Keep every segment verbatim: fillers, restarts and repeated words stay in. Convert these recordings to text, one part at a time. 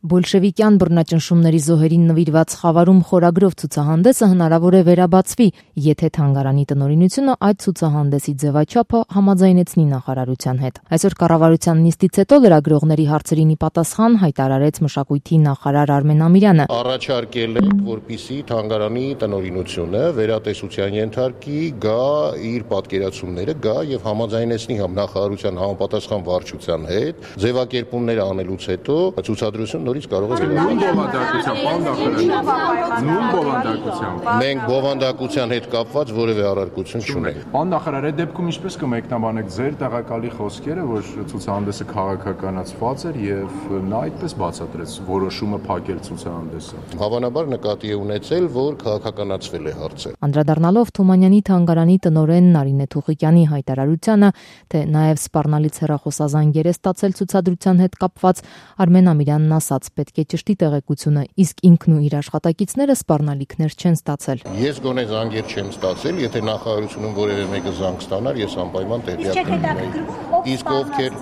Բոլշևիկյան բռնաճնշումների զոհերին նվիրված Խավարում խորագրով ցուցահանդեսը հնարավոր է վերաբացվի, եթե թանգարանի տնօրինությունը այդ ցուցահանդեսի ձևաչափը համաձայնեցնի նախարարության հետ։ Այսօր կառավարության նիստից հետո լրագրողների հարցերին ի պատասխան հայտարարեց մշակույթի նախարար Արմեն Ամիրյանը. Առաջարկել ենք, որպեսզի թանգարանի տնօրինությունը վերատեսության ենթարկի, գա իր պատկերացումները, գա եւ համաձայնեցնի նախարարության համապատասխան վարչության հետ, ձևակերպումները անելուց հետո ցուցադրություն նորից կարող է նույն բովանդակությամբ մենք բովանդակության հետ կապված որևէ առարկություն չունենք։ Պարոն նախարար, այդ դեպքում ինչպես կմեկնաբանեք ձեր տեղակալի խոսքերը, որ ցուցահանդեսը քաղաքականացված էր եւ նա այդպես բացատրեց որոշումը փակել ցուցահանդեսը։ Հավանաբար նկատի է ունեցել, որ քաղաքականացվել է հարցը։ Անդրադառնալով Թումանյանի թանգարանի տնօրեն Նարինե Թուղիկյանի հայտարարությանը, թե նաեւ սպառնալից հեռախոսազանգեր է ստացել ցուցադրության հետ կապված, Արմեն Ամիրյանն ասաց, պետք է ճշտի տեղեկությունը, իսկ ինքն ու իր աշխատակիցները սպառնալիքներ չեն ստացել։ Ես գոնե զանգեր չեմ ստացել, եթե նախարարությունում որևէ մեկը զանգ ստանար, ես անպայման տեղյակ կլինեի։ Իսկ ովքեր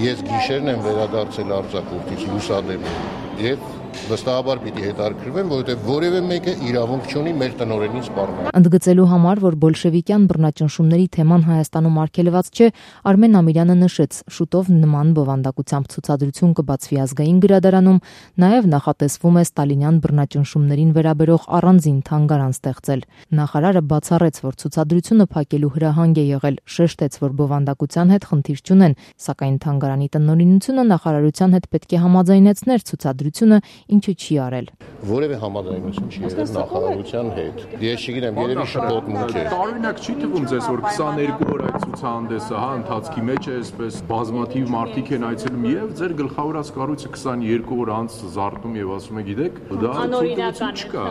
ես գիշերն եմ վերադարձել արձակուրդից լուսադեմին եւ վստահաբար պիտի հետաքրքրվեմ, որովհետեւ որևէ մեկը իրավունք չունի մեր տնօրենին սպառնել։ Ընդգծելու համար, որ բոլշևիկյան բռնաճնշումների թեման Հայաստանում արգելված չէ, Արմեն Ամիրյանը նշեց, շուտով նման բովանդակությամբ ցուցադրություն կբացվի ազգային գրադարանում, նաև նախատեսվում է ստալինյան բռնաճնշումներին վերաբերող առանձին թանգարան ստեղծել։ Նախարարը բացառեց, որ ցուցադրությունը փակելու հրահանգ է եղել, շեշտեց, որ բովանդակության հետ խնդիր չունեն, սակայն թանգարանի տնօրինությունը նախարարության հետ պետք է համաձայնեցներ ցուցադրությունը, ինչը չի արել։ Որևէ համաձայնություն չի եղել նախարարության հետ։ Ես չգիտեմ, երևի շփոթմունք է։ Տարօրինակ չի թվում ձեզ, որ քսաներկու օր այդ ցուցահանդեսը, հա, ընթացքի մեջ է, այսպես բազմաթիվ մարդիկ են այցելում եւ ձեր գլխավորած կառույցը քսաներկու օր անց զարթնում եւ ասում է, գիտեք, դա անօրինական չկա։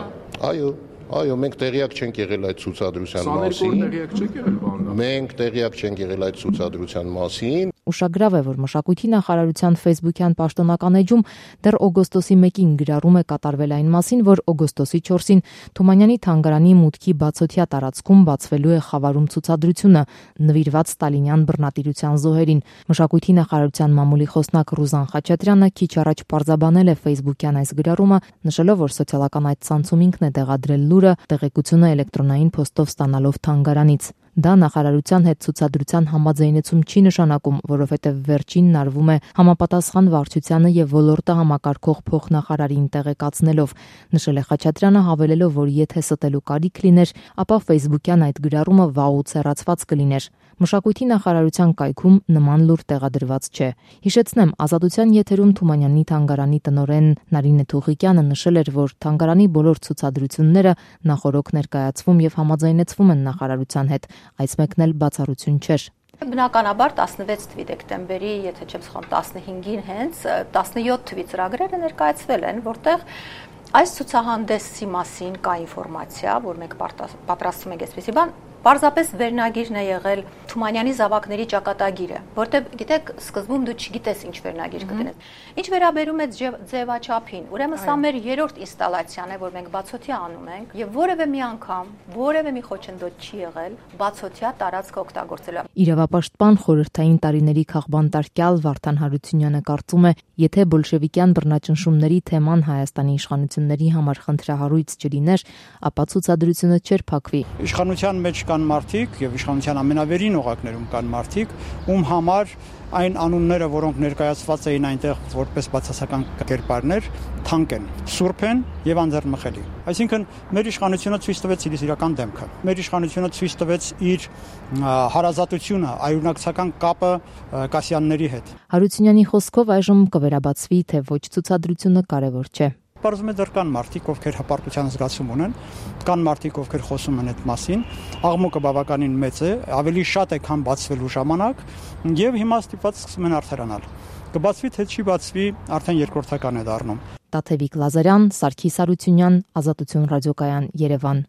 Այո, այո, մենք տեղյակ չենք եղել այդ ցուցադրության մասին։ Տեղյակ չեք եղել, բան։ Մենք տեղյակ չենք եղել այդ ցուցադրության մասին։ Ուշագրավ է, որ մշակույթի նախարարության ֆեյսբուքյան պաշտոնական էջում դեռ օգոստոսի մեկին գրառում է կատարվել այն մասին, որ օգոստոսի չորսին Թումանյանի թանգարանի մուտքի բացօթյա տարածքում բացվելու է Խավարում ցուցադրությունը, նվիրված ստալինյան բռնատիրության զոհերին։ Մշակույթի նախարարության մամուլի խոսնակ Ռուզան Խաչատրյանը քիչ առաջ պարզաբանել է ֆեյսբուքյան այս գրառումը, նշելով, որ սոցիալական այդ ցանցում ինքն է տեղադրել լուրը, տեղեկությունը էլեկտրոնային փոստով ստանալով թանգարանից։ Դա նախարարության հետ ցուցադրության համաձայնեցում չի նշանակում, որովհետև վերջինն արվում է համապատասխան վարչությանը եւ ոլորտը համակարգող փոխնախարարին տեղեկացնելով, նշել է Խաչատրյանը, հավելելով, որ եթե ստելու կարիք լիներ, ապա ֆեյսբուքյան այդ գրառումը վաղուց հեռացված կլիներ։ Մշակույթի նախարարության կայքում նման լուր տեղադրված չէ։ Հիշեցնեմ, Ազատության եթերում Թումանյանի թանգարանի տնօրեն Նարինե Թուղիկյանը նշել էր, որ թանգարանի բոլոր ցուցադրությունները նախորոք ներկայացվում եւ համաձայնեցվում են նախարարության հետ, այս մեկն էլ բացառություն չէր։ Բնականաբար տասնվեց թվականի դեկտեմբերի, եթե չեմ սխալվում, տասնհինգին հենց տասնյոթ թվականի ծրագրերը ներկայացվել են, որտեղ այս ցուցահանդեսի մասին կա ինֆորմացիա, որ մենք պատրաստում ենք այսպեսի բան, պարզապես վերնագիրն է եղել Թումանյանի զավակների ճակատագիրը, որտեղ գիտեք, սկզբում դու չգիտես ինչ վերնագիր կդնես։ Ինչ վերաբերում է ձևաչափին, ուրեմն սա մեր երրորդ ինստալացիան է, որ մենք բացօթյա անում ենք, եւ որևէ մի անգամ, որևէ մի խոչընդոտ չի եղել բացօթյա տարածքը օգտագործելու։ Իրավապաշտպան խորհրդային տարիների քաղբանտարկյալ Վարդան Հարությունյանը կարծում է, եթե բոլշևիկյան բռնաճնշումների թեման Հայաստանի իշխանությունների համար խնդրահարույց չլիներ, ապա ցուցադրությունը չէր փակվի։ Իշխանության մեջ կան մարդիկ եւ իշխանության ամենավերին օղակներում կան մարդիկ, ում համար այն անունները, որոնք ներկայացված էին այնտեղ որպես բացասական կերպարներ, թանկ են, սուրբ են եւ անձեռնմխելի։ Այսինքն մեր իշխանությունը ցույց տվեց իր իրական դեմքը։ Մեր իշխանությունը ցույց տվեց իր հարազատությունը, այունակցական կապը Կասյանների հետ։ Հարությունյանի խոսքով այժմ կվերաբացվի, թե ոչ ցուցադրությունը կարևոր չէ։ Պարզվում է դեռ կան մարդիկ, ովքեր հպարտության զգացում ունեն, կան մարդիկ, ովքեր խոսում են այդ մասին, աղմուկը բավականին մեծ է, ավելի շատ է, քան բացվելու ժամանակ, եւ հիմա ստիպված սկսում են արդարանալ։ Կբացվի թե չի բացվի, արդեն երկրորդական է դառնում։ Տաթևիկ Լազարյան, Սարգիս Հարությունյան, Ազատություն ռադիոկայան, Երևան։